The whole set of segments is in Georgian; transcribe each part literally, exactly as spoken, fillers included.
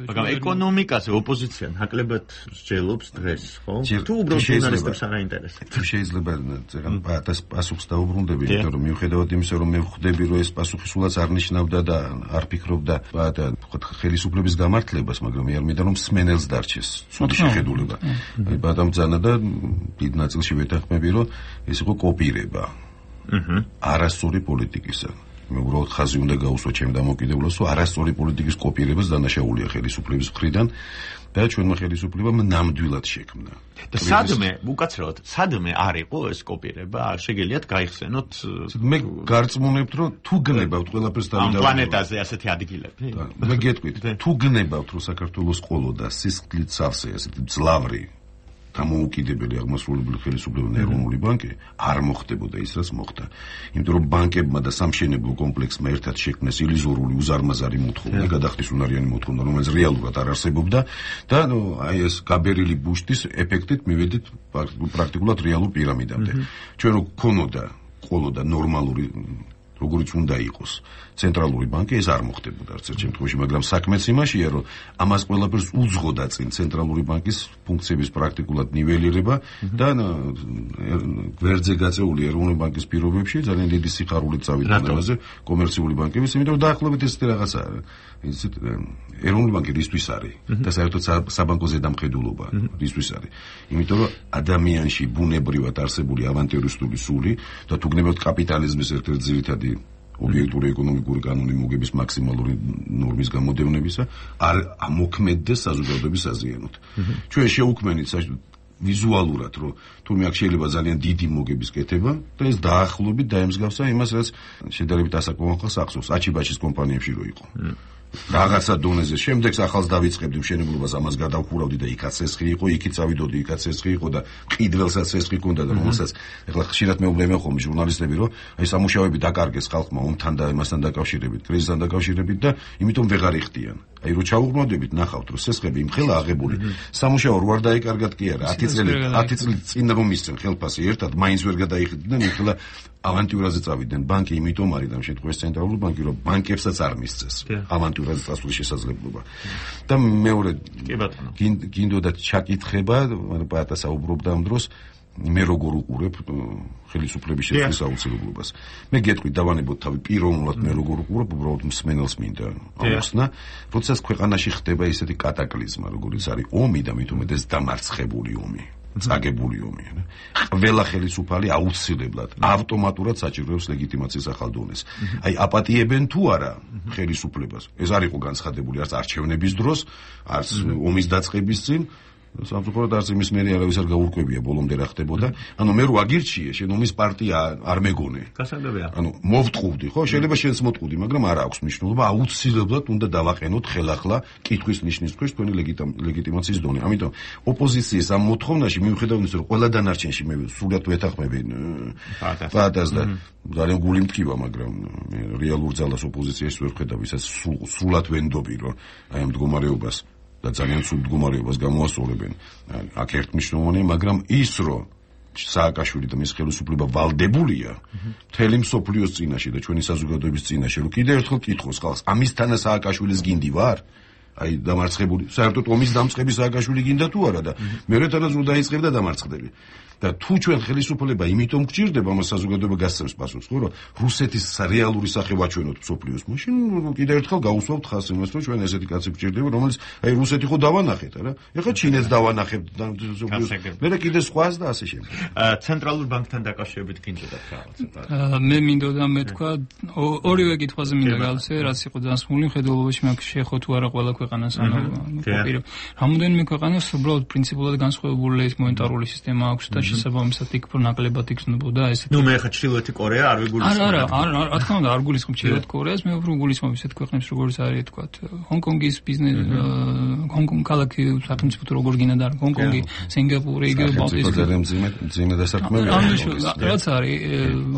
მაგრამ ეკონომიკაზე ოპოზიცია ნაკლებად სჯელობს დღეს, ხო? თუ უბრალოდ ჟურნალისტებს არ აინტერესებს. თუ შეიძლება ზეგან პასუხს დაუბრუნდები, იმიტომ რომ მიუხედავად იმისა, რომ მე ვხვდები, რომ ეს პასუხი სულაც არ ნიშნავდა და არ ფიქრობდა ხელისუფლების გამართლებას, მაგრამ მე არ მინდა რომ სმენელს დარჩეს ცუდი შეხედულება. აი ბატონბძანა და დიდ ნაწილში ვეთანხმები, რომ ეს იყო კოპირება. აჰა. არასწორი პოლიტიკისა. მე უბრალოდ ხაზი უნდა გაუსვა ჩემ დამოკიდებულებას, რომ არასწორი პოლიტიკის კოპირებას დანაშაულია ხელისუფლების მხრიდან და ჩვენმა ხელისუფლებამ ნამდვილად შექმნა. და სადმე, უკაცრავად, სადმე არ იყო ეს კოპირება? შეგიძლიათ გაიხსენოთ? მე გარწმუნებთ, რომ თუ გნებავთ ყველაფერს დავიდავთ ამ პლანეტაზე ასეთი ადგილები. მე გეტყვით, თუ გნებავთ, რომ საქართველოს ყოლოდა სისხლით სავსე, ასეთი ძლავრი დამოუკიდებელი აღმასრულებელი ხელისუფლება ეროვნული ბანკი არ მოხდებოდა ის, რაც მოხდა. იმიტომ რომ ბანკებმა და სამშენებლო კომპლექსმა ერთად შექმნეს ილიზორული უზარმაზარი მოთხოვნა, გადახდის უნარიანი მოთხოვნა, რომელიც რეალურად არ არსებობდა და აი ეს გაბერილი ბუშტის ეფექტით მივედით პრაქტიკულად რეალურ პირამიდამდე. ჩვენ რო გქონოდა ყოლოდა ნორმალური როგორიც უნდა იყოს ცენტრალური ბანკი, ეს არ მოხდებოდა არც ერთ შემთხვევაში, მაგრამ საქმეც იმაშია, რომ ამას ყველაფერს უძღოდა წინ ცენტრალური ბანკის ფუნქციების პრაქტიკულად ნიველირება და გვერდზე გაწეული ეროვნული ბანკის პირობებში ძალიან დიდი სიხარულით წავიდა ამაზე კომერციული ბანკების, იმიტომ რომ დაახლოებით ესეთი რაღაცაა. ისეთ ეროვნული ბანკი რისთვის არის და საერთოდ საბანკო ზედამხედველობა რისთვის არის? იმიტომ რომ ადამიანში ბუნებრივად არსებული ავანტიურისტული სული და თუ გნებავთ კაპიტალიზმის ერთ-ერთი ძირითადი ობიექტური ეკონომიკური კანონი მოგების მაქსიმალური ნორმის გამოდევნებისა არ ამოქმედდეს საზოგადოების აზიანოდ. ჩვენ შეუქმნით ვიზუალურად, რომ თურმე აქ შეიძლება ძალიან დიდი მოგების კეთება და ეს დაახლოებით დაემსგავსა იმას, რაც შედარებით ასაკმაყოფილს ახსოვს აჩიბაჩის კომპანიებში რო იყო. რაღაცა დონეზე შემდეგს ახალს დავიწყებდი მშენებლობას, ამას გადავხურავდი და იქაც ცესხი იყო, იქით წავიდოდი, იქაც ცესხი იყო და ყიდველსაც ცესხი ჰქონდა და რომელსაც ეხლა ხშირად მეუბნებიან ხოლმე ჟურნალისტები, რომ აი სამუშაოები დაკარგეს ხალხმა ომთან და იმასთან დაკავშირებით, კრიზისთან დაკავშირებით და იმიტომ ვეღარ იხდიან. აი რო ჩაუღრმავდებით, ნახავთ, რომ ცესხები იმხელა აღებული. სამუშაო რო არ დაიკარგათ კი არა, ათი წელი ათი წელი წინ რომ ისწენ ხელფასი ერთად მაინც ვერ გადაიხდიდნენ, ეხლა ავანტიურაზე წავიდნენ. ბანკი იმიტომ არის ამ შემთხვევაში ცენტრალური ბანკი, რომ ბანკებსაც არ მისცეს ავანტიურაზე წასვლის შესაძლებლობა. და მეორე გინდოდა ჩაკითხება, პატა საუბრობდა ამ დროს, მე როგორ უყურებ ხელისუფლების შეცვლის აუცილებლობას. მე გეტყვით დავანებოთ თავი პიროვნულად მე როგორ უყურებ, უბრალოდ მსმენელს მინდა აუხსნა, როდესაც ქვეყანაში ხდება ისეთი კატაკლიზმა, როგორიც არის ომი და მით უმეტეს დამარცხებული ომი. წაგებული ომი. ყველა ხელისუფალი აუცილებლად ავტომატურად საჭიროებს ლეგიტიმაციის ახალ დონეს. აი აპატიებენ თუ არა ხელისუფლებას. ეს არ იყო განცხადებული არც არჩევნების დროს, არც ომის დაწყების წინ. სამწუხაროდ არც იმის მერე არავის არ გაურკვევია ბოლომდე რა ხდებოდა. ანუ მე რო აგირჩიე, შენ ომის პარტია არ მეგონე. გასაგებია. ანუ მოვტყუდი, ხო? შეიძლება შენც მოტყუდი, მაგრამ არ აქვს მნიშვნელობა, აუცილებლად უნდა დავაყენოთ ხელახლა კითხვის ნიშნის ქვეშ თქვენი ლეგიტიმაციის დონე. ამიტომ ოპოზიციის ამ მოთხოვნაში მიუხედავად იმისა, რომ ყველა დანარჩენში მე სულად ვეთანხმები პატას და ძალიან გული მტკივა, მაგრამ რეალურ ძალას ოპოზიციის ვერ ხედავ, ისაც სულად ვენდობი, რომ აი ამ მდგომარეობას და ძალიან სულ მდგომარეობას გამოასწორებენ. აქ ერთ მნიშვნელოვანია, მაგრამ ის რომ სააკაშვილი და მის ხელისუფლება ვალდებულია მთელი მსოფლიოს წინაშე და ჩვენი საზოგადოების წინაშე, რომ კიდევ ერთხელ კითხოს ხალხს, ამისთანა სააკაშვილის გინდი ვარ? აი დამარცხებული, საერთოდ ომის დამწყები სააკაშვილი გინდა თუ არა და მეორე თანაც დაიწყებ და დამარცხდები. და თუ ჩვენ ხელისუფლება იმიტომ გჭირდება, ამას საზოგადოება გასცემს პასუხს, ხო, რომ რუსეთის რეალური სახე ვაჩვენოთ მსოფლიოს, მაშინ კიდევ ერთხელ გაუსვავთ ხაზს იმას, რომ ჩვენ ესეთი კაცი გჭირდება, რომელიც აი რუსეთი ხო დავანახეთ, არა? ეხლა ჩინეთს დავანახებთ და მსოფლიოს. მე კიდე სხვას და ასე შემდეგ. ცენტრალურ ბანკთან დაკავშირებით გინდოდათ რაღაცა? მე მინდოდა მეთქვა ორივე კითხვაზე მინდა გავცე, რაც იყო დასმული მხედველობაში მაგ შეხო თუ არა ყველა ქვეყანას ანუ კოპირებ. რამოდენიმე ქვეყანას უბრალოდ პრინციპულად განსხვავებული ეს მონეტარული სისტემა აქვს და შესაბამისად იქ ნაკლებად იქნებოდა ესეთი. ნუ მე ხა ჩრდილოეთი კორეა არ ვიგულისხმობ. არა, არა, რა თქმა უნდა არ გულისხმობ ჩრდილოეთ კორეას, მე უფრო გულისხმობ ისეთ ქვეყნებს როგორც არის თქვა ჰონკონგის ბიზნეს, ჰონკონგი ქალაქი სახელმწიფო როგორ გინდა და ჰონკონგი, სინგაპური, იგივე ბალტიის მძიმე მძიმე დასაქმებია. რაც არის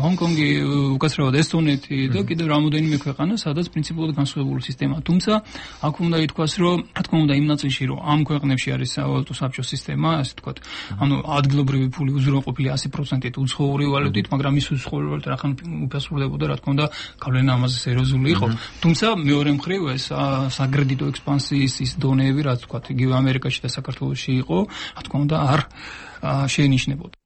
ჰონკონგი, უკაცრავად ესტონეთი და კიდევ რამოდენიმე ქვეყანა, სადაც პრინციპულად განსხვავებული სისტემაა. თუმცა აქ უნდა ითქვას, რომ რა თქმა უნდა იმ ნაწილში, რომ ამ ქვეყნებში არის სავალუტო საბჭოს სისტემა, ასე თქვა, ანუ ადგილობრივი ფული უზრუნველყოფილი one hundred percent-ით უცხოური ვალუტით, მაგრამ ის უცხოური ვალუტა რახან უფასურდებოდა, რა თქმა უნდა, გავლენა ამაზე სერიოზული იყო. თუმცა მეორე მხრივ ეს საკრედიტო ექსპანსიის ის დონეები, რაც თქვა, იგივე ამერიკაში და საქართველოში იყო, რა თქმა უნდა, არ შეინიშნებოდა.